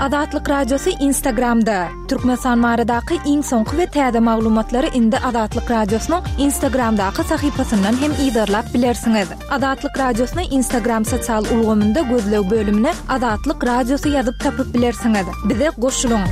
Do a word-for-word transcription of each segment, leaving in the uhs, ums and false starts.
Azatlyk Radiosy Instagramda. Türkmenistan baradaky iň soňky we täze maglumatlary indi Azatlyk Radiosynyň Instagramdaky sahypasyndan hem yzarlap bilersiňiz. Azatlyk Radiosyny Instagram sosial ulgamynda gözleg bölümine Azatlyk Radiosy ýazyp tapyp bilersiňiz. Bize goşulyň.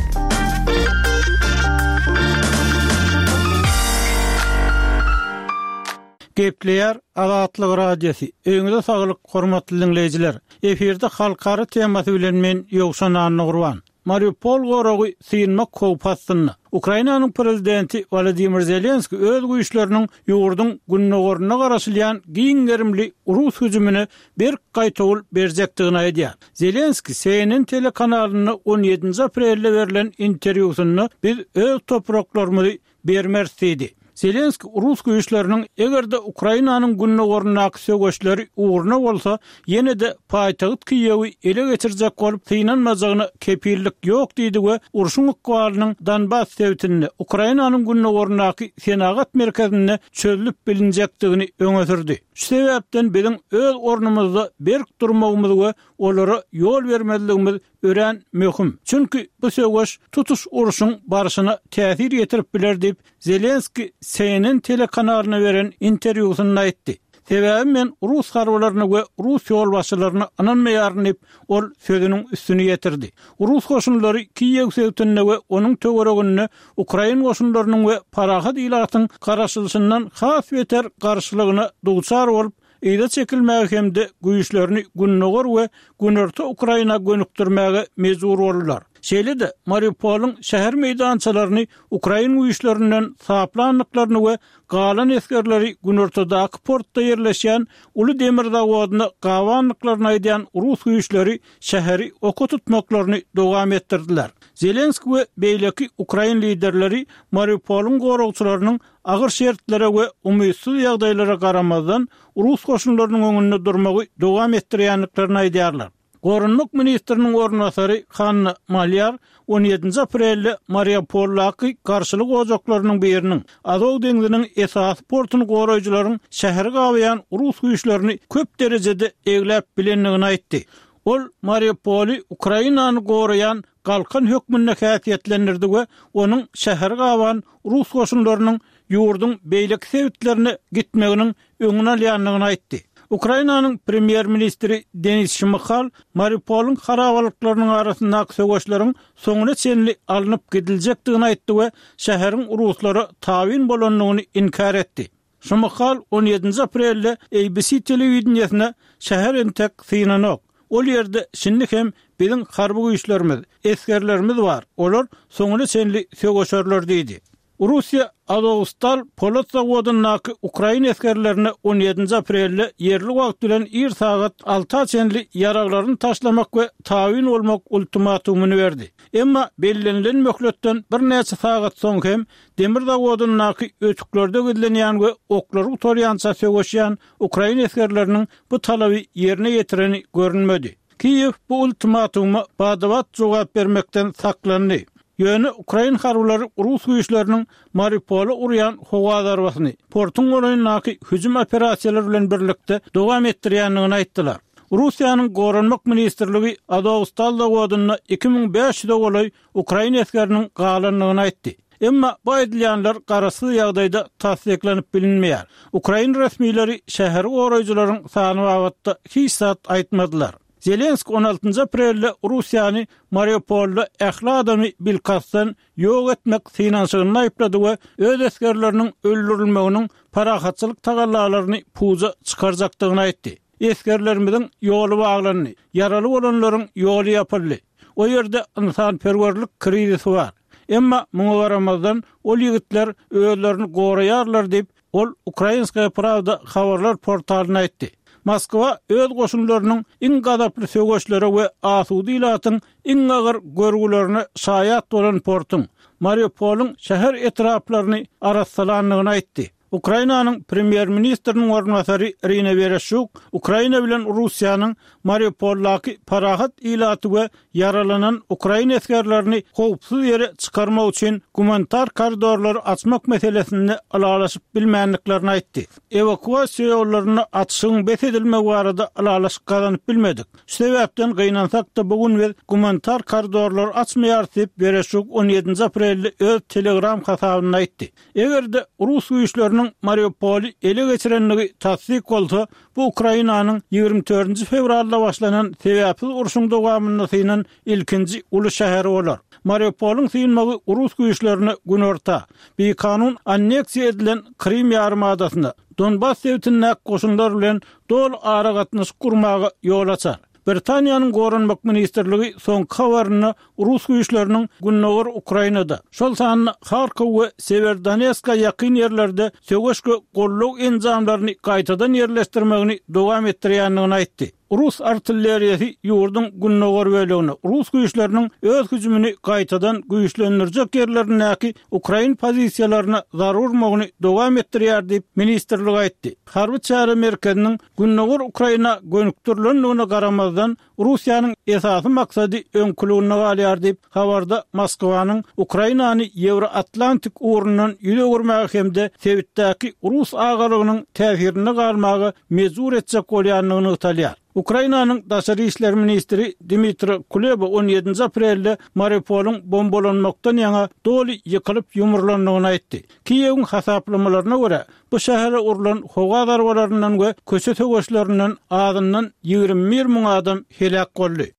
Gepleýär Azatlyk Radiosy. Öýüňize saglyk, hormatly diňleýjiler. Efirde halkara temasy bilen men Ýowşan Annagurban. Mariupol goragy synmak howpy astynda. Ukrainanyň prezidenti Wolodymyr Zelenski öz güýçleriniň ýurduň gündogarynda garaşylýan giň gerimli rus hüjümine berk gaýtawul berjekdigini aýdýar. Zelenski C N N telekanalynda on ýedinji aprelde berlen interwýusynda biz öz topraklarymyzy bermeris diýdi. Zelenski rus güýçleriniň eger-de Ukrainanyň gündogaryndaky söweşleri ugruna bolsa, ýene-de paýtagt Kiýewi ele geçirjek bolup synanmajagyna kepillik ýok diýdi we urşuň ykbalynyň Donbas sebitinde Ukrainanyň gündogaryndaky senagat merkezinde çözülip bilinjekdigini öňe sürdi. Şu sebäpden biziň öz ornumyzda berk durmagymyz we olara ýol bermezligimiz örän möhüm. Çünki bu söweş tutuş urşuň barşyna täsir ýetirip biler diýip Zelenski C N N telekanalyna beren interwýusynda aýtdy. Sebäbi men rus harbylaryna we rus ýolbaşçylaryna ynanmaýaryn diýip ol sözüniň üstüni ýetirdi. Rus goşunlary Kiýew sebitinde we onuň töwereginde Ukrain goşunlarynyň we parahat ilatyň garaşylyşyndan has beter garşylygyna duçar bolup, yza çekilmäge hem-de güýçlerini gündogar we günorta Ukraina gönükdirmäge mejbur boldular. Şeýle-de Mariupolyň şäher meýdançalaryny Ukrain güýçlerinden saplandyklaryny we galan esgerleri günortadaky portda ýerleşýän uly demir zawodyna gabandyklaryny aýdýan rus güýçleri şäheri oka tutmaklaryny dowam etdirdiler. Zelenski we beýleki Ukrain liderleri Mariupolyň goragçylarynyň agyr şertlere we umytsyz ýagdaýlara garamazdan rus goşunlarynyň öňünde durmagy dowam etdirýändiklerini aýdýarlar. Goranmak ministriniň orunbasary Hanna Malýar on ýedinji aprelde Mariupoldaky garşylyk ojaklarynyň biriniň Azow deňziniň esasy portuny goraýjylaryň şäheri gabaýan rus güýçlerini köp derejede egläp bilendigini aýtdy. Ol Mariupoly Ukrainany goraýan galkan hökmünde häsiýetlendirdi we onuň şäheri gaban rus goşunlarynyň ýurduň beýleki sebitlerine gitmeginiň öňüni alýandygyny aýtdy. Ukrainanyň premýer-ministri Denis Şmyhal Mariupolyň harabalyklarynyň arasyndaky söweşleriň soňuna çenli alnyp gidiljekdigini aýtdy we şäheriň ruslara tabyn bolandygyny inkär etdi. Şmyhal on ýedinji aprelde A B C telewideniýesine şäher entek synanok. Ol ýerde şindi hem biziň harby güýçlerimiz, esgerlerimiz bar. Olar soňuna çenli söweşerler diýdi. Russiýa Azovstal polat zawodyndaky Ukrain esgerlerine on ýedinji aprelde ýerli wagt bilen ir sagat alta çenli ýaraglaryny taşlamak we tabyn bolmak ultimatumyny berdi. Emma bellenilen möhletden birnäçe sagat soň hem demir zawodyndaky ötüklerde gizlenýän we oklary gutarýança söweşýän Ukrain esgerleriniň bu talaby ýerine ýetireni görünmedi. Kiýew bu ultimatuma badabat jogap bermekden saklandy. Ýöne Ukrain harbylary rus güýçleriniň Mariupola urýan howa zarbasyny portuň golaýyndaky hüjüm operasiýalary bilen birlikde dowam etdirýändigini aýtdylar. Russiýanyň Goranmak ministrligi Azovstal zawodynda iki müň bäş ýüze golaý Ukrain esgeriniň galandygyny aýtdy. Emma bu aýdylýanlar garaşsyz ýagdaýda tassyklanyp bilinmeýär. Ukrain resmileri şäheri goraýjylaryň sany babatda hiç zat aýtmadylar. Zelenski on altynjy aprelde Russiýany Mariupolda ähli adamy bilkastdan ýok etmek synanyşygyny aýyplady we öz esgerleriniň öldürilmeginiň parahatçylyk tagallalaryny puja çykarjakdygyny aýtdy. Esgerlerimiziň ýoly baglandy, ýaraly bolanlaryň ýoly ýapyldy. O ýerde insanperwerlik krizisi bar. Emma muňa garamazdan ol ýigitler özlerini goraýarlar diýip, ol Ukrainskaya Pravda habarlar portalyna aýtdy. Moskwa öz goşunlarynyň iň gazaply söweşlere we asuda ilatyň iň agyr görgülerine şaýat bolan portuň Mariupolyň şäher etraplaryny arassalandygyny aýtdy. Ukrainanyň premýer-ministriniň orunbasary Irina Wereşçuk Ukraina bilen Russiýanyň Mariupoldaky parahat ilaty we ýaralanan ukrain esgerlerini howpsuz ýere çykarmak üçin gumanitar koridorlary açmak meselesinde ylalaşyp bilmändiklerini aýtdy. Ewakuasiýa ýollaryny açyşyň bes edilmegi barada ylalaşyk gazanyp bilmedik. Şu sebäpden gynansak-da bu gün biz gumanitar koridorlary açmaýarys diýip Wereşçuk on ýedinji aprelde öz Telegram hasabynda aýtdy. Eger-de rus güýçleriniň Mariupoly ele geçirenligi tassyk bolsa, bu Ukrainanyň ýigrimi dördünji fewralda başlanan sebäpsiz urşuň dowamynda synan ilkinji uly şäheri bolar. Mariupolyň synmagy rus güýçlerine günorta, bikanun anneksiýa edilen Krim ýarymadasyna, Donbas sebitindäki goşunlar bilen doly aragatnaşyk gurmaga ýol açar. Britaniýanyň Goranmak ministrligi soňky habarynda rus güýçleriniň Gündogar Ukrainada, şol sanda Harkov we Severodonetska ýakyn ýerlerde söweş we gollag enjamlaryny gaýtadan ýerleşdirmegini dowam etdirýändigini aýtdy. Rus artilleriýasy ýurduň Gündogar bölegine, rus güýçleriniň öz hüjümini gaýtadan güýçlendirjek ýerlerindäki ukrain pozisiýalaryna zarur urmagyny dowam etdirýär diýip ministrlik aýtdy. Harby çäre merkeziniň Gündogar Ukraina gönükdirilendigine garamazdan Russiýanyň esasy maksady öňküliginde galýar diýip habarda Moskwanyň Ukrainany Ýewroatlantik ugrundan ýüz öwürmäge hem-de sebitdäki rus agalygynyň täsirinde galmaga mejbur etjek bolýandygyny nygtalýar. Ukrainanyň daşary işler ministri Dmitri Kuleba on ýedinji aprelde Mariupolyň bombalanmakdan ýaňa doly ýykylyp ýumrulandygyny aýtdy. Kiýewiň hasaplamalaryna görä, bu şähere urlan howa zarbalaryndan we köçe söweşlerinden azyndan ýigrimi bir müň adam heläk boldy.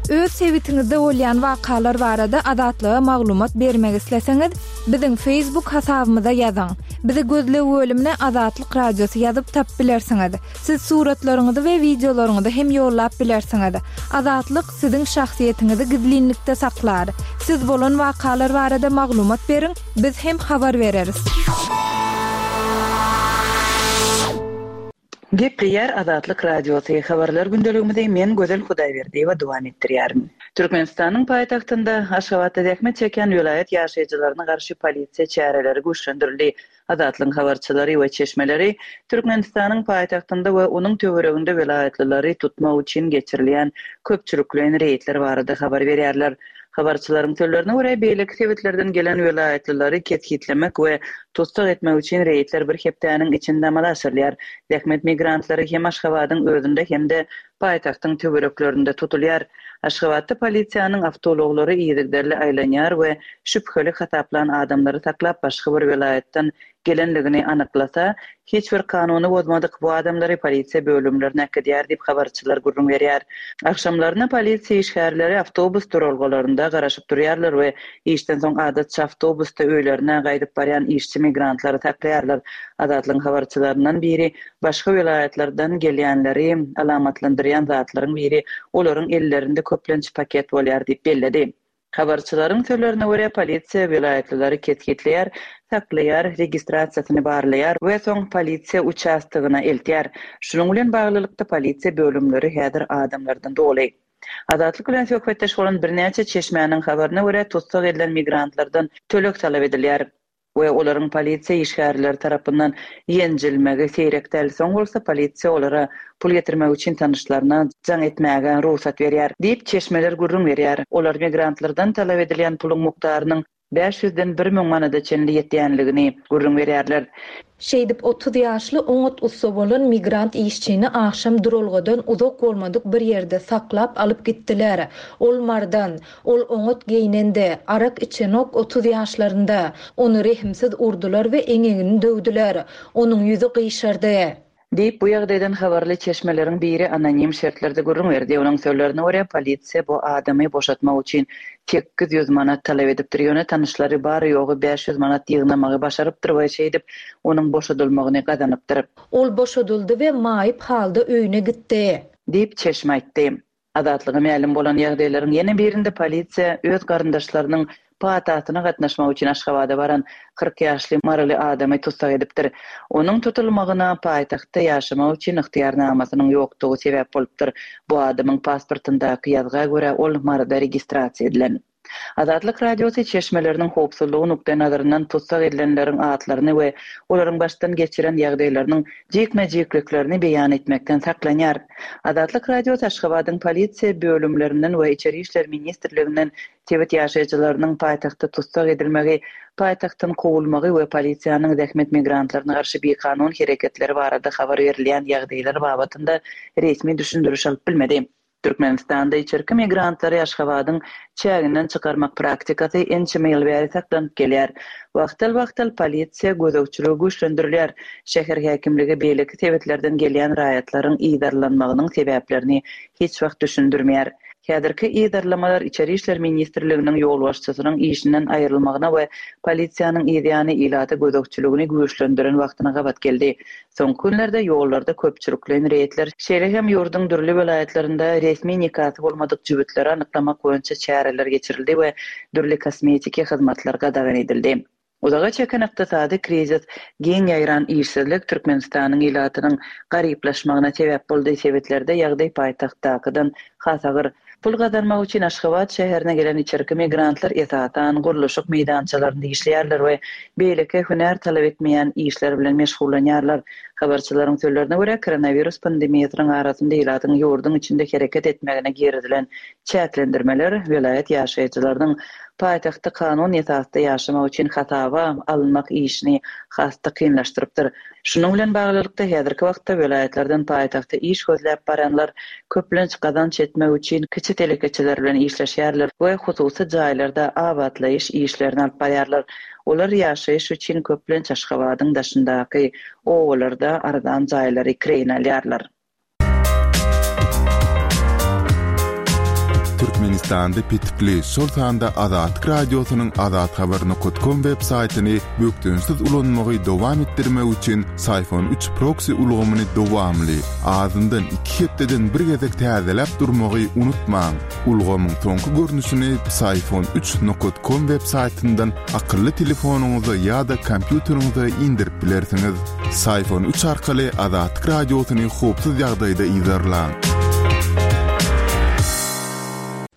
Öz sebitiňizde bolýan wakalar barada Azatlyga maglumat bermek isleseňiz, biziň Facebook hasabymyza ýazyň. Bizi gözleg bölümine Azatlyk Radiosy ýazyp tap bilersiňiz. Siz suratlaryňyzy we wideolaryňyzy hem ýollap bilersiňiz. Azatlyk siziň şahsyýetiňizi gizlinlikde saklar. Siz bolan wakalar barada maglumat beriň, biz hem habar bereris. Gepleýär Azatlyk Radiosy habarlar gündeligimizi men Gözel Hudaýberdiýewa dowam etdirýärin. Türkmenistanyň paýtagtynda Aşgabatda zähmet çeken welaýat ýaşaýjylaryna garşy polisiýa çäreleri güýçlendirildi. Azatlygyň habarçylary we çeşmeleri Türkmenistanyň paýtagtynda we onuň töwereginde welaýatlylary tutmak üçin geçirilýän köpçülikleýin reýdler barada habar berýärler. Habarçylaryň sözlerine görä, beýleki sebitlerden gelen welaýatlylary kesgitlemek we tussag etmek üçin reýdler bir hepdäniň içinde amala aşyrylýar. Zähmet migrantlary hem Aşgabadyň özünde hem-de paýtagtyň töwereklerinde tutulýar. Aşgabatda polisiýanyň awtoulaglary yzygiderli aýlanýar we şübheli hasaplan adamlary saklap başga bir welaýatdan gelenligini anyklasa, hiç bir kanuny bozmadyk bu adamlary polisiýa bölümlerine äkidýär diýip habarçylar gürrüň berýär. Akşamlaryna polisiýa işgärleri awtobus duralgalarynda garaşyp durýarlar we işden soň adatça awtobusda öýlerine gaýdyp barýan işçi migrantlary saklaýarlar. Azatlygyň habarçylaryndan biri başga welaýatlardan gelýänleri alamatlandyrýan zatlaryň biri olaryň ellerinde köplenç paket bolýar diýip belledi. Habarçylaryň sözlerine görä, polisiýa welaýatlylary kesgitleýär, saklaýar, registrasiýasyny barlaýar we soň polisiýa uçastogyna eltýär. Şunuň bilen baglylykda polisiýa bölümleri häzir adamlardan doly. Azatlyk bilen söhbetdeş bolan birnäçe çeşmäniň habaryna görä, tussag edilen migrantlardan töleg talap edilýär we olaryň polisiýa işgärleri tarapyndan ýenjilmegi seýrek däl. Soň bolsa polisiýa olara pul getirmek üçin tanyşlaryna jaň etmäge rugsat berýär diýip çeşmeler gürrüň berýär. Olar migrantlardan talap edilýän puluň mukdarynyň bäş ýüzden bir müň manada çenli ýetýänligini gürrüň berýärler. Şeýdip otuz ýaşly oňat ussa bolan migrant işçini akşam duralgadan uzak bolmadyk bir ýerde saklap alyp gitdiler. Ol mardan, ol oňat geýnende, arak içenok otuz ýaşlarynda. Ony rehimsiz urdular we eňegini döwdüler. Onuň ýüzi gyşardy. Diýip, bu ýagdaýdan habarly çeşmeleriň biri anonim şertlerde gürrüň berdi. Onuň sözlerine görä, polisiýa bu adamy boşatmak üçin sekiz ýüz manat talap edipdir. Ýöne tanyşlary bary ýogy bäş ýüz manat ýygnamagy başarypdyr we şeýdip onuň boşadylmagyny gazanypdyr. Ol boşadyldy we maýyp halda öýüne gitdi. Diýip çeşme aýtdy. Azatlyga mälim bolan ýagdaýlaryň ýene birinde polisiýa öz garyndaşlarynyň patasyna gatnaşmak üçin Aşgabada baran kyrk ýaşly maryly adamy tussag edipdir. Onuň tutulmagyna paýtagtda ýaşamak üçin ygtyýarnamasynyň ýokdugy sebäp bolupdyr. Bu adamyň pasportyndaky ýazga görä ol Maryda registrasiýa edilen. Azatlyk Radiosy çeşmeleriniň howpsuzlygy nukdaýnazaryndan tussag edilenleriň atlaryny we olaryň başdan geçiren ýagdaýlarynyň jikme-jikliklerini beýan etmekden saklanýar. Azatlyk Radiosy Aşgabadyň polisiýa bölümlerinden we Içeri işler ministrliginden sebit ýaşaýjylarynyň paýtagtda tussag edilmegi, paýtagtdan kowulmagy we polisiýanyň zähmet migrantlaryna garşy bikanun hereketleri barada habar berilýän ýagdaýlar babatynda resmi düşündiriş alyp bilmedi. Türkmenistanda içerki migrantlary Aşgabadyň çäginden çykarmak praktikasy ençeme ýyl bäri saklanyp gelýär. Wagtal-wagtal polisiýa gözegçiligi güýçlendirilýär. Şäher häkimligi beýleki sebitlerden gelýän raýatlaryň yzarlanmagynyň sebäplerini hiç wagt düşündirmeýär. Häzirki yzarlamalar Içeri işler ministrliginiň ýolbaşçysynyň işinden aýrylmagyna we polisiýanyň yzýany ilata gözegçiligini güýçlendiren wagtyna gabat geldi. Soňky günlerde ýollarda köpçülikleýin reýdler, şeýle hem ýurduň dürli welaýatlarynda resmi nikasy bolmadyk jübütleri anyklamak boýunça çäreler geçirildi we dürli kosmetiki hyzmatlar gadagan edildi. Uzaga çeken ykdysady krizis, giň ýaýran işsizlik Türkmenistanyň ilatynyň garyplaşmagyna sebäp boldy. Sebitlerde ýagdaý paýtagtdakydan has agyr. Pul gazanmak üçin Aşgabat şäherine gelen içerki migrantlar esasan gurluşyk meýdançalarynda işleýärler we beýleki hünär talap etmeýän işler bilen meşgullanýarlar. Habarçylaryň sözlerine görä, koronawirus pandemiýasynyň arasynda ilatyň ýurduň içinde hereket etmegine girizilen çäklendirmeler welaýat ýaşaýjylarynyň paýtagtda kanun esasda ýaşamak üçin hasaba alynmak işini has-da kynlaşdyrypdyr. Şunuň bilen baglylykda häzirki wagtda welaýatlardan paýtagta iş gözläp baranlar köplenç gazanç etmek üçin kiçi telekeçiler bilen işleşýärler we hususy jaýlarda abatlaýyş işlerini alyp barýarlar. Olar ýaşaýyş üçin köplenç Aşgabadyň daşyndaky obalarda arzan jaýlary kireýine alýarlar. Türkmenistanda petikli, şol sanda Azatlyk Radiosynyň azathabar nokta com web saýtyny bökdençsiz ulanmagy dowam etdirmek üçin Syfon üç proxy ulgamyny dowamly, azyndan iki hepdeden bir gezek täzeläp durmagy unutmaň. Ulgamyň soňky görnüşini Syfon üç nokta com web saýtyndan akylly telefonyňyza ýa-da kompýuteriňize indirip bilersiňiz. Syfon üç arkaly Azatlyk Radiosyny howpsuz ýagdaýda yzarlaň.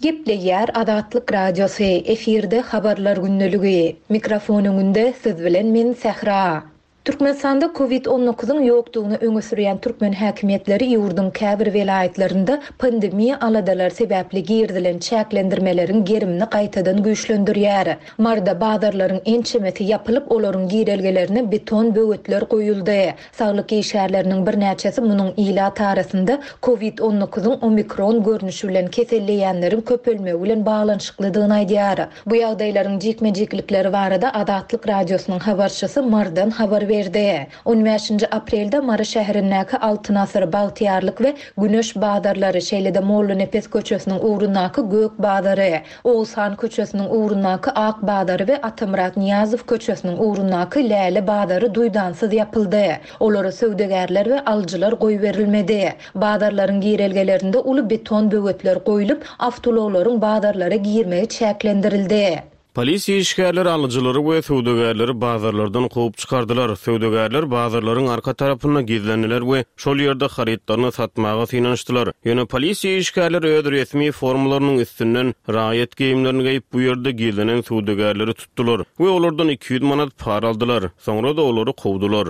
Gepleýär Azatlyk Radiosy, efirde habarlar gündeligi. Mikrofon öňünde siz bilen men Sähra. Türkmenistanda kovid on dokuzyň ýokdugyny öňe sürýän türkmen häkimiýetleri ýurduň käbir welaýatlarynda pandemiýa aladalar sebäpli girizilen çäklendirmeleriň gerimini gaýtadan güýçlendirýär. Marda bazarlaryň ençemesi ýapylyp, olaryň girelgelerine beton böwetler goýuldy. Saglyk işgärleriniň birnäçesi munuň ilat arasynda kovid on dokuzyň omikron görnüşi bilen keselleýänleriň köpelmegi bilen baglanyşyklydygyny aýdýar. Bu ýagdaýlaryň jikme-jiklikleri barada Azatlyk Radiosynyň habarçysy Mardan habar berdi. on bäşinji aprelde Mary şäherindäki Altyn Asyr, Bagtyýarlyk we Güneş bazarlary, şeýle-de Mollanepes köçesiniň ugrundaky Gök bazary, Oğuzhan köçesiniň ugrundaky Ak bazary we Atamyrat Niýazow köçesiniň ugrundaky Läle bazary duýdansyz ýapyldy. Olara söwdagärler we alyjylar goýberilmedi. Bazarlaryň girelgelerinde uly beton böwetler goýlup, awtoulaglaryň bazarlara girmegi çäklendirildi. Polisiýa işgärleri alyjylary we söwdagärleri bazarlardan kowup çykardylar. Söwdagärler bazarlaryň arka tarapynda gizlendiler we şol ýerde harytlaryny satmaga synanyşdylar. Ýöne polisiýa işgärleri öz resmi formalarynyň üstünden raýat geýimlerini geýip bu ýerde gizlenen söwdagärleri tutdular we olardan iki ýüz manat para aldylar. Soňra da olary kowdular.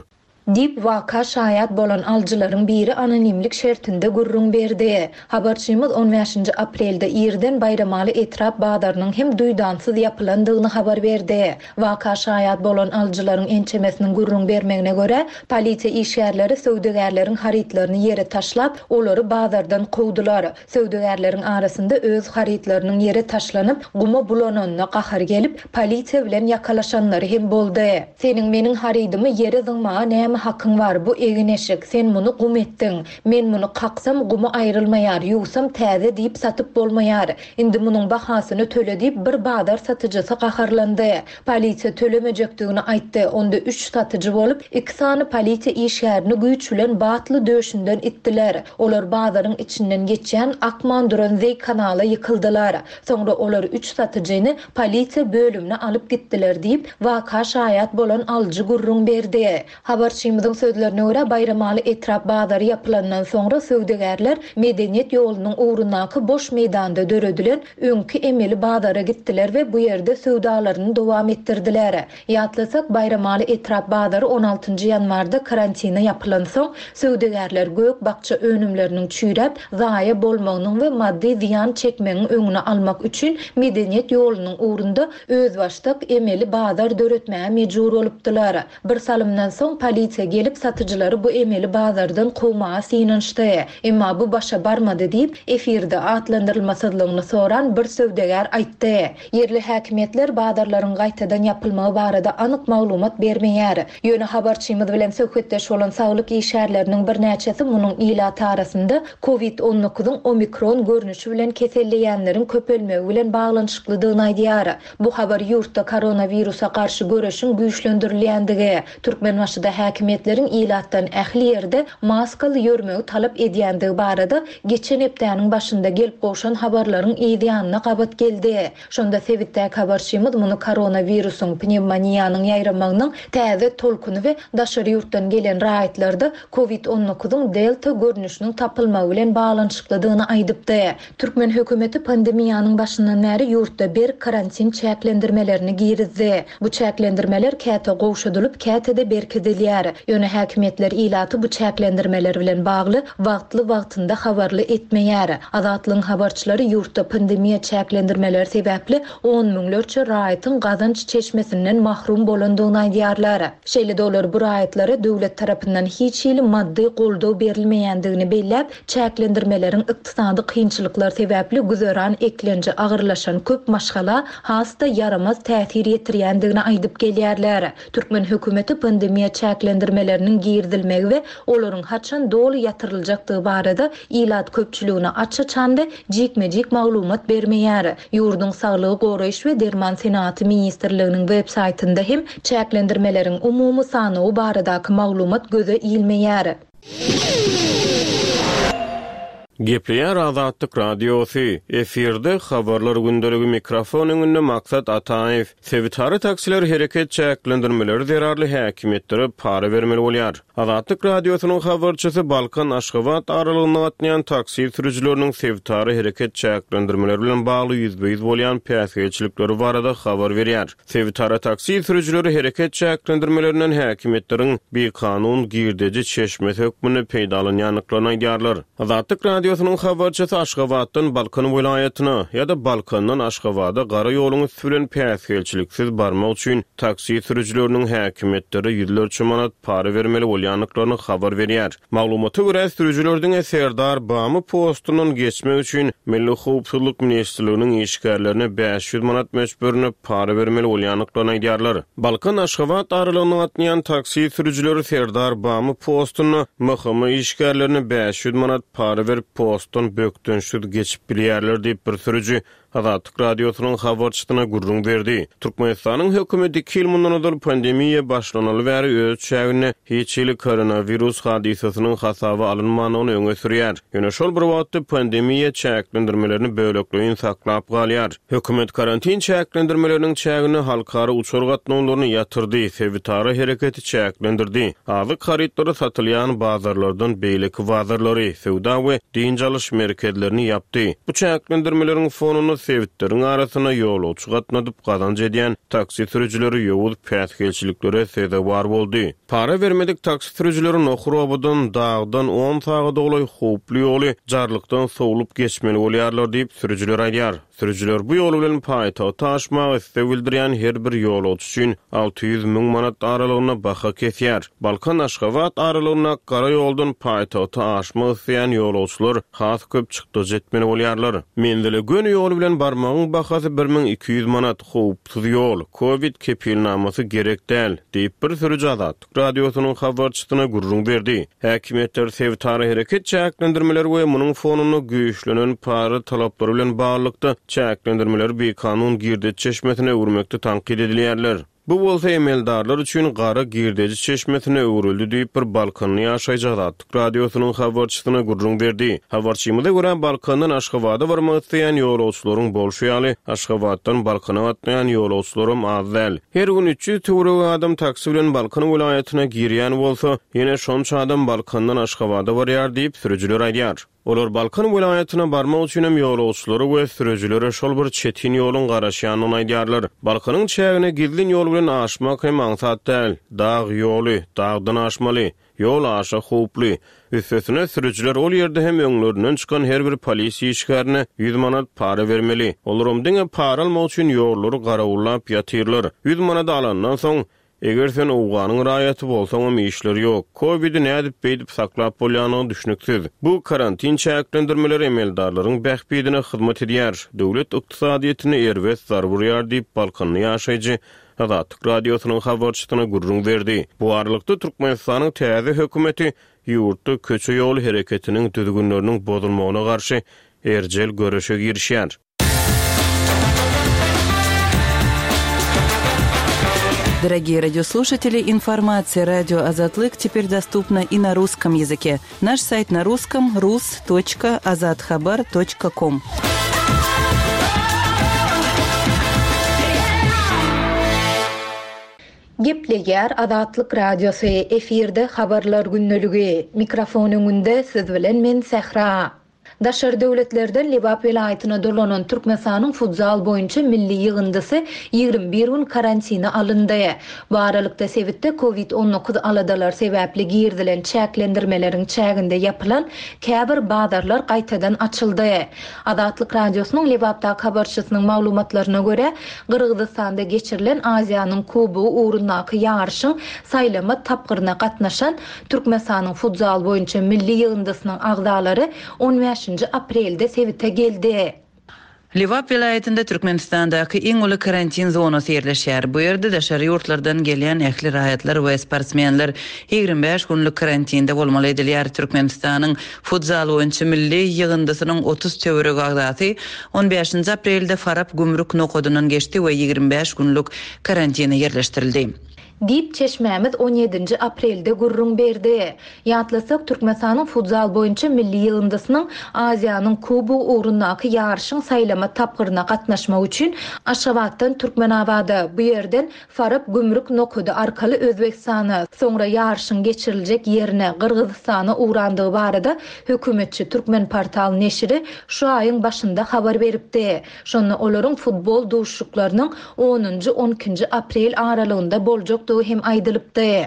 Diýip waka şaýat bolan alyjylaryň biri anonimlik şertinde gürrüň berdi. Habarçymyz on bäşinji aprelde irden Baýramaly etrap bazarynyň hem duýdansyz ýapylandygyny habar berdi. Waka şaýat bolan alyjylaryň ençemesiniň gürrüň bermegine görä, polisiýa işgärleri söwdagärleriň harytlaryny ýere taşlap, olary bazardan kowdular. Söwdagärleriň arasynda öz harytlarynyň ýere taşlanyp, guma bulananyna gahar gelip, polisiýa bilen ýakalaşanlary hem boldy. Seniň meniň harydymy ýere zyňmaga näme hakyň bar? Bu egin-eşik, sen muny gum etdiň. Men muny kaksam gumy aýrylmaýar, ýuwsam täze diýip satyp bolmaýar. Indi munuň bahasyny töle diýip bir bazar satyjysy gaharlandy. Polisiýa tölemejekdigini aýtdy. Onda üç satyjy bolup, iki sany polisiýa işgärini güýç bilen batly döşünden itdiler. Olar bazaryň içinden geçýän akman duran zeý kanala ýykyldylar. Soňra olar üç satyjyny polisiýa bölümine alyp gitdiler diýip, waka şaýat bolan alyjy gürrüň berdi. Habarçymyz Habarçymyzyň sözlerine görä, Baýramaly etrap bazary ýapylandan soňra söwdagärler Medeniýet ýolunyň ugrundaky boş meýdanda döredilen öňki emeli bazara gitdiler we bu ýerde söwdalaryny dowam etdirdiler. Ýatlasak, Baýramaly etrap bazary on altynjy ýanwarda karantina ýapylansoň, söwdagärler gök-bakja önümleriniň çüýräp, zaýa bolmagynyň we maddy zyýan çekmegiň öňüni almak üçin Medeniýet ýolunyň ugrunda özbaşdak emeli bazar döretmäge mejbur bolupdylar. Bir salymdan soň polisiýa gelip satyjylary bu emeli bazardan kowmaga synanyşdy. Emma bu başa barmady diýip, efirde atlandyrylmasyzlygyny soran bir söwdagär aýtdy. Ýerli häkimiýetler bazarlaryň gaýtadan ýapylmagy barada anyk maglumat bermeýär. Ýöne habarçymyz bilen söhbetdeş bolan saglyk işgärleriniň birnäçesi munuň ilat arasynda kovid on dokuzyň omikron görnüşi bilen keselleýänleriň köpelmegi bilen baglanyşyklydygyny aýdýar. Bu habar ýurtda koronawirusa garşy göreşiň güýçlendirilýändigi, Türkmenbaşyda häkimiýetleriň ilatdan ähli ýerde maskaly ýörmegi talap edýändigi barada geçen hepdäniň başynda gelip gowşan habarlaryň ýanyna gabat geldi. Şonda sebitdäki habarçymyz muny koronawirusyň pnevmoniýanyň ýaýramagynyň täze tolkuny we daşary ýurtdan gelen raýatlarda kovid on dokuzyň delta görnüşiniň tapylmagy bilen baglanyşyklydygyny aýdypdy. Türkmen hökümeti pandemiýanyň başyndan bäri ýurtda bir karantin çäklendirmelerini girizdi. Bu çäklendirmeler käte gowşadylyp, käte-de berkidilýär. Ýöne häkimiýetler ilaty bu çäklendirmeler bilen bagly wagtly-wagtynda habarly etmeýär. Azatlygyň habarçylary ýurtda pandemiýa çäklendirmeleri sebäpli on müňlerçe raýatyň gazanç çeşmesinden mahrum bolandygyny aýdýarlar. Şeýle-de olar bu raýatlara döwlet tarapyndan hiç hili maddy goldaw berilmeýändigini belläp, çäklendirmeleriň ykdysady kynçylyklar sebäpli güzeran eklenji agyrlaşan köp maşgala has-da ýaramaz täsir ýetirýändigini aýdyp gelýärler. Türkmen hökümeti pandemiýa çäklendirmeleriniň girizilmegi we olaryň haçan doly ýatyryljakdygy barada ilat köpçüligine aç-açan we jikme-jik maglumat bermeýär. Ýurduň Saglygy Goraýyş we Derman Senatı Ministrliginiň web saýtynda hem çäklendirmeleriň umumy sanawy baradaky maglumat göze ilmeýär. Gepleýär Azatlyk Radiosy, efirde habarlar gündeligi mikrofon öňünde Maksat Ataýew. Sebitara taksiler hereket çäklendirmeleri zerarly häkimiýetlere para bermeli bolýar. Azatlyk Radiosynyň habarçysy Balkan Aşgabat aralygynda gatnaýan taksi sürüjileriniň sebitara hereket çäklendirmeleri bilen bagly ýüzbe-ýüz bolýan päsgelçilikleri barada habar berýär. Sebitara taksi sürüjileri hereket çäklendirmelerinden häkimiýetleriň bikanun girdeji çeşmesi hökmünde peýdalanýandyklaryny aýdýarlar. Azatlyk Radiosynyň habarçysy Aşgabatdan Balkan welaýatyna ýa-da Balkandan Aşgabada gara ýoluň üstü bilen päsgelçiliksiz barmak üçin taksi sürüjileriniň häkimiýetlere ýüzlerçe manat para bermeli bolýandyklaryny habar berýär. Maglumata görä sürüjiler diňe Serdar Bamy postundan geçmek üçin Milli Howpsuzlyk Ministrliginiň işgärlerine bäş ýüz manat möçberinde para bermeli bolýandyklaryny aýdýarlar. Balkan Aşgabat aralygynda gatnaýan taksi sürüjileri Serdar Bamy postunda M H M işgärlerine bäş ýüz manat para berip postdan bökdençsiz geçip bilýärler diýip bir sürüji Azatlyk Radiosynyň habarçysyna gürrüň berdi. Türkmenistanyň hökümeti iki ýyl mundan ozal pandemiýa başlanaly bäri öz çäginde hiç hili koronawirus hadysasynyň hasaba alynmandygyny öňe sürýär. Ýöne şol bir wagtda pandemiýa çäklendirmelerini bölekleýin saklap galýar. Hökümet karantin çäklendirmeleriniň çäginde halkara uçar gatnawlaryny ýatyrdy, sebitara hereketi çäklendirdi. Azyk harytlary satylýan bazarlardan beýleki bazarlary, söwda we dynç alyş merkezlerini ýapdy. Bu çäklendirmeleriň fonunda sebitleriň arasynda ýolagçy gatnadyp gazanç edýän taksi sürüjileri ýowuz päsgelçiliklere sezewar boldy. Para bermedik taksi sürüjileri Nohur obadan dagdan on sagat golaý howply ýoly jarlykdan sowlup geçmeli bolýarlar diýip sürüjiler aýdýar. Sürüjiler bu ýol bilen paýtagta aşmagy isleg bildirýän her bir ýolagçy üçin alty ýüz müň manat aralygynda baha kesýär. Balkan Aşgabat aralygynda gara ýoldan paýtagta aşmak isleýän ýolagçylar has köp çykdajy etmeli bolýarlar. Menzile göni ýol bilen barmagyň bahasy bir müň iki ýüz manat, howpsuz ýol, Covid kepilnamasy gerek däl diýip bir sürüji Azatlyk Radiosynyň habarçysyna gürrüň berdi. Häkimiýetler sebitara hereket çäklendirmeleri we munuň fonunda güýçlenen para talaplary bilen baglylykda çäklendirmeleri bikanun girdeji çeşmesine öwürmekde tankyt edilýärler. Bu bolsa emeldarlar üçin gara girdeji çeşmesine öwrüldi diýip bir Balkanly ýaşaýjy Azatlyk Radiosynyň habarçysyna gürrüň berdi. Habarçymyza görä Balkandan Aşgabada barmak isleýän ýolagçylaryň bolşy ýaly Aşgabatdan Balkana gatnaýan ýolagçylaram az däl. Her gün üç ýüz töweregi adam taksi bilen Balkan welaýatyna girýän bolsa, ýene şonça adam Balkandan Aşgabada barýar diýip sürüjiler aýdýar. Olar Balkan welaýatyna barmak üçin hem ýolagçylary we sürüjilere şol bir çetin ýoluň garaşýanyny aýdýarlar. Balkanyň çägine gizlin ýol bilen aşmak hem aňsat däl. Dag ýoly, dagdan aşmaly. Ýol aşa howply. Üstesine sürüjiler ol ýerde hem öňlerinden çykan her bir polisiýa işgärine ýüz manat para bermeli. Olaram diňe para almak üçin ýollary garawullap ýatyrlar. Ýüz manat alandan soň eger sen Owganyň raýaty bolsaňam işleri ýok. Covid'i nädip beýdip saklap bolýanyny düşüniksiz. Bu karantin çäklendirmeleri emeldarlaryň bähbidine hyzmat edýär. Döwlet ykdysadyýetine erbet zarba urýar diýip Balkanly ýaşaýjy Azatlyk Radiosynyň habarçysyna gürrüň berdi. Bu aralykda Türkmenistanyň täze hökümeti ýurtda köçe ýol hereketiniň düzgünleriniň bozulmagyna garşy erjel göreşe girişýär. Дорогие радиослушатели, информация радио Азатлык теперь доступна и на русском языке. Наш сайт на русском rus точка azathabar точка ком. Gepleýär Azatlyk Radiosy efirde habarlar günlügi. Mikrofon öňünde siz bilen men Sähra. Daşary döwletlerden Lebap welaýatyna dolanan Türkmenistanyň futzal boýunça milli ýygyndysy ýigrimi bir gün karantina alyndy. Bu aralykda sebitde COVID on dokuz aladalar sebäpli girdilen çäklendirmeleriň çäginde ýapylan käbir bazarlar gaýtadan açyldy. Azatlyk Radiosynyň Lebapdaky habarçysynyň maglumatlaryna görä, Gyrgyzystanda geçirilen Aziýanyň Kubogy ugrundaky ýaryşyň saýlama tapgyryna gatnaşan Türkmenistanyň futzal boýunça milli ýygyndysynyň agzalary on bäşinji aprelde sebite geldi. Lebap welaýatynda Türkmenistandaky iň uly karantin zonasy ýerleşýär. Bu ýerde daşary ýurtlardan gelýän ähli raýatlar we sportsmenler ýigrimi bäş günlük karantinde bolmaly edilýär. Türkmenistanyň futzal boýunça milli ýygyndysynyň otuz töweregi agzasy on bäşinji aprelde Farap gümrük nokadyndan geçdi we ýigrimi bäş günlük karantine ýerleşdirildi. Diýip çeşmämiz on ýedinji aprelde gürrüň berdi. Ýatlasak, Türkmenistanyň futzal boýunça milli ýygyndysynyň Aziýanyň Kubogy ugrundaky ýaryşyň saýlama tapgyryna gatnaşmak üçin Aşgabatdan Türkmenabada, bu ýerden Farap gümrük nokady arkaly Özbegistana, soňra ýaryşyň geçiriljek ýerine Gyrgyzystana ugrandygy barada hökümetçi Türkmen portal neşiri şu aýyň başynda habar beripdi. Şonda olaryň futbol duşuşyklarynyň onunjy on ikinji aprel aralygynda boljak hem aýdylypdy.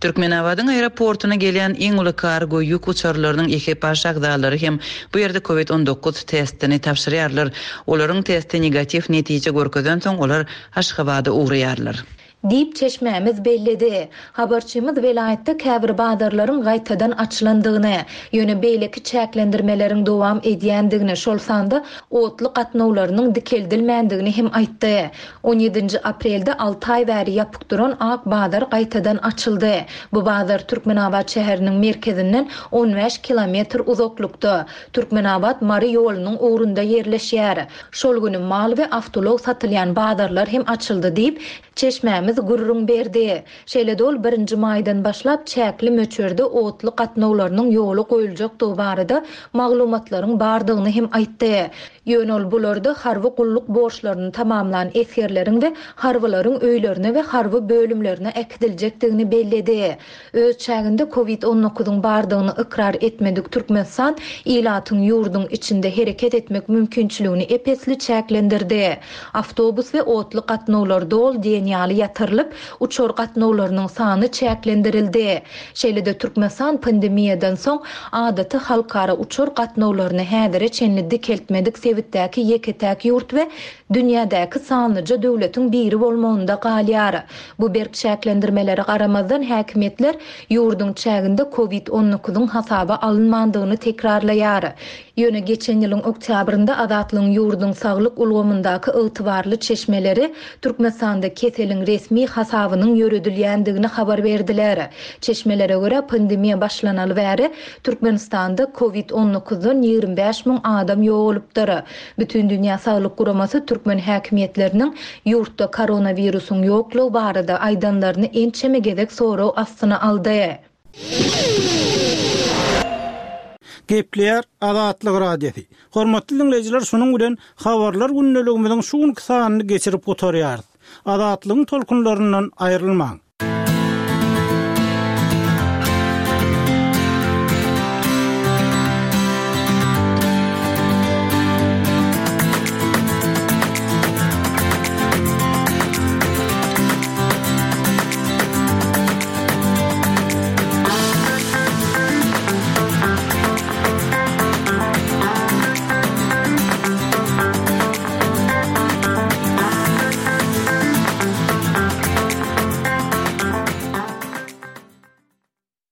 Türkmenabadyň aeroportuna gelýän iň uly kargo ýük uçarlarynyň ekipaž agzalary hem bu ýerde COVID on dokuz testini tabşyrýarlar. Olaryň testi negatiw netije görkezen soň olar Aşgabada ugraýarlar. Diýip çeşmämiz belledi. Habarçymyz welaýatda käbir bazarlaryň gaýtadan açylandygyny, ýöne beýleki çäklendirmeleriň dowam edýändigini, şol sanda otly gatnawlarynyň dikeldilmändigini hem aýtdy. on ýedinji aprelde alty aý bäri ýapyk duran Ak bazar gaýtadan açyldy. Bu bazar Türkmenabat şäheriniň merkezinden on bäş kilometr uzaklykda, Türkmenabat Mary ýolunyň ugrunda ýerleşýär. Şol günü mal we awtoulag satylýan bazarlar hem açyldy diýip çeşmämiz gürrüň berdi. Şeýle dol birinji maýdan başlap çäkli möçberde otly gatnawlarynyň ýoly goýuljakdygy barada maglumatlaryň bardygyny hem aýtdy. Ýöne ol bularda harby gulluk borçlaryny tamamlan esgerleriň we harbylaryň öýlerine we harby bölümlerine äkidiljekdigini belledi. Öz çäginde COVID on dokuzyň bardygyny ykrar etmedik Türkmenistan ilatyň ýurduň içinde hereket etmek mümkinçiligini epesli çäklendirdi. Awtobus we otly gatnawlar dol diýen ýaly ýatyrylyp, uçar gatnawlarynyň sany çäklendirildi. Şeýle-de Türkmenistan pandemiýadan soň adaty halkara uçar gatnawlaryny häzire çenli dikeltmedik sebitdäki ýeke-täk ýurt we dünýädäki sanlyja döwletiň biri bolmagynda galýar. Bu berk çäklendirmelere garamazdan häkimiýetler ýurduň çäginde COVID on dokuzyň hasaba alynmandygyny tekrarlaýar. Ýöne geçen ýylyň oktýabrynda Azatlygyň ýurduň saglyk ulgamyndaky ygtybarly çeşmeleri Türkmenistanda keseliň resmi resmi hasabynyň ýöredilýändigini habar berdiler. Çeşmelere görä, pandemiýa başlanaly bäri Türkmenistanda Covid on dokuzdan ýigrimi bäş müň adam ýogalypdyr. Bütindünýä Saglyk Guramasy türkmen häkimiýetleriniň ýurtda koronawirusyň ýoklugy barada aýdanlaryny ençeme gezek sorag astyna aldy. Gepleýär Azatlyk Radiosy. Hormatly dinleýjiler, şunuň bilen habarlar gündeligimiziň şu günki sanyny geçirip gutarýarys. Azatlygyň tolkunlaryndan aýrylmaň.